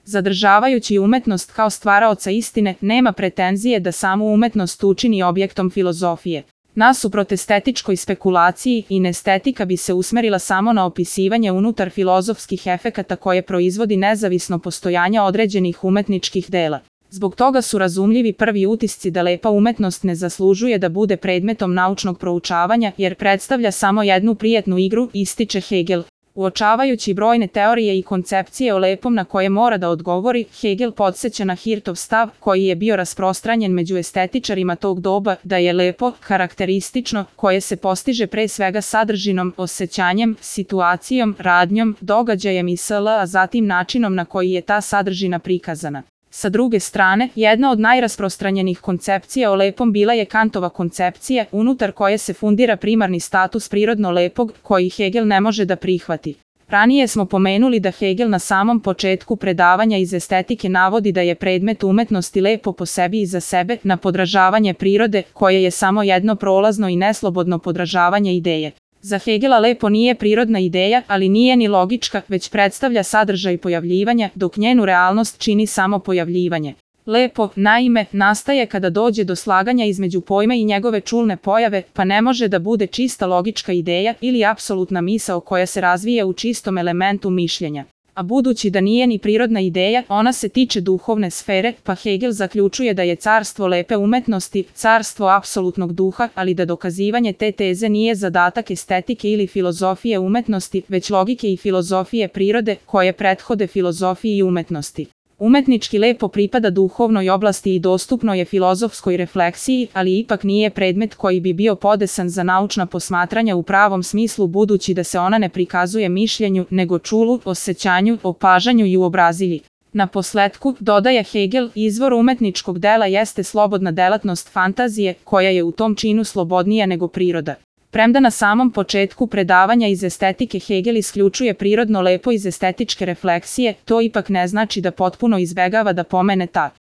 Zadržavajući umetnost kao stvaraoca istine, nema pretenzije da samu umetnost učini objektom filozofije. Nasuprot estetičkoj spekulaciji, inestetika bi se usmerila samo na opisivanje unutar filozofskih efekata koje proizvodi nezavisno postojanja određenih umetničkih dela. Zbog toga su razumljivi prvi utisci da lepa umetnost ne zaslužuje da bude predmetom naučnog proučavanja, jer predstavlja samo jednu prijetnu igru, ističe Hegel. Uočavajući brojne teorije i koncepcije o lepom na koje mora da odgovori, Hegel podsjeća na Hirtov stav, koji je bio rasprostranjen među estetičarima tog doba, da je lepo karakteristično, koje se postiže pre svega sadržinom, osjećanjem, situacijom, radnjom, događajem i sl., a zatim načinom na koji je ta sadržina prikazana. Sa druge strane, jedna od najrasprostranjenih koncepcija o lepom bila je Kantova koncepcija, unutar koje se fundira primarni status prirodno lepog, koji Hegel ne može da prihvati. Ranije smo pomenuli da Hegel na samom početku predavanja iz estetike navodi da je predmet umetnosti lepo po sebi i za sebe, na podražavanje prirode, koje je samo jedno prolazno i neslobodno podražavanje ideje. Za Hegela lepo nije prirodna ideja, ali nije ni logička, već predstavlja sadržaj pojavljivanja, dok njenu realnost čini samo pojavljivanje. Lepo, naime, nastaje kada dođe do slaganja između pojma i njegove čulne pojave, pa ne može da bude čista logička ideja ili apsolutna misao koja se razvija u čistom elementu mišljenja. A budući da nije ni prirodna ideja, ona se tiče duhovne sfere, pa Hegel zaključuje da je carstvo lepe umetnosti, carstvo apsolutnog duha, ali da dokazivanje te teze nije zadatak estetike ili filozofije umetnosti, već logike i filozofije prirode, koje prethode filozofiji i umetnosti. Umetnički lepo pripada duhovnoj oblasti i dostupno je filozofskoj refleksiji, ali ipak nije predmet koji bi bio podesan za naučna posmatranja u pravom smislu, budući da se ona ne prikazuje mišljenju, nego čulu, osjećanju, opažanju i uobrazilji. Na posletku, dodaje Hegel, izvor umetničkog dela jeste slobodna delatnost fantazije, koja je u tom činu slobodnija nego priroda. Premda na samom početku predavanja iz estetike Hegel isključuje prirodno lepo iz estetičke refleksije, to ipak ne znači da potpuno izbegava da pomene ta